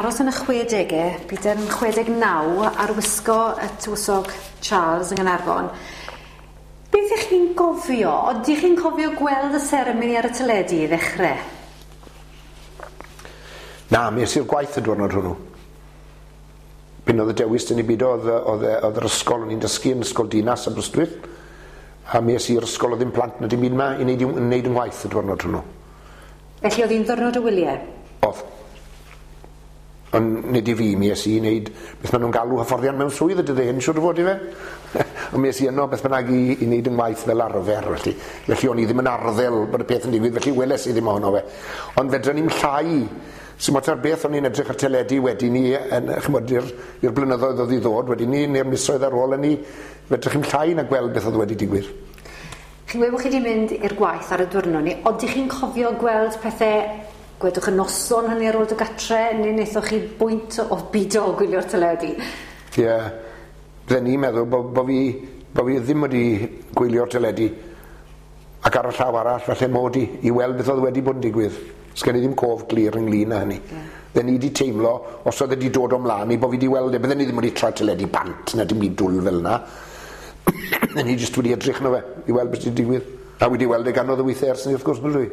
Aros yn y 60au, byd yn 69 ar wisgo y tywysog Charles yng Nghaernarfon. Beth ych chi'n gofio? Odych chi'n cofio gweld y seremoni ar y teledu i ddechrau? Na, mi es i'r gwaith y diwrnod hwnnw. Pyn oedd y dewis dyn ni byd oedd, oedd, oedd yr ysgol o'n i'n dysgu yn Ysgol Dinas Aberystwyth. A mi es i'r ysgol oedd ddim plant na dim byd yma i wneud, i wneud yng ngwaith y diwrnod hwnnw. Felly oedd hi'n ddiwrnod o wyliau? Oedd. Ond nid i fi, mi es i wneud beth maen nhw'n galw hyfforddiant mewn swydd y dyddiau hyn, siŵr o fod i fe. Ond mi es i yno beth bynnag i wneud yng ngwaith fel arfer, felly. Felly o'n i ddim yn arddel bod y peth yn digwydd, felly weles i ddim ohono fe. Ond fedra ni'm llai, sy'n ots ar beth o'n i'n edrych ar teledu wedyn ni, yn, ch'mod, i'r blynyddoedd oedd i ddod, wedyn ni, neu'r misoedd ar ôl hynny, fedrwch chi'm llai na gweld beth oedd wedi digwydd. Chi'n gweud bod chi wedi mynd i'r gwaith ar y diwrnod ni, odych chi'n cofio gweld pethau, gwedwch y noson hynny ar ôl dy gatre, neu wnaethoch chi bwynt o bido o gwylio'r teledu? Ie, yeah. Bydden ni'n meddwl bo fi ddim wedi gwylio'r teledu, ac ar y llaw arall, falle mod i weld beth oedd wedi bod yn digwydd. Sgen i ddim cof glir ynglyn â hynny. Yeah. Bydden ni wedi teimlo, os oedd wedi dod o mlaen i, bo fi wedi weld e, bydden ni ddim wedi troi teledu bant na dim byd dwl fel yna. Bydden ni jyst wedi edrych yno fe, i weld beth wedi digwydd. A wedi weld e gannoedd o weithiau ers ni, wrth gwrs, bydw i.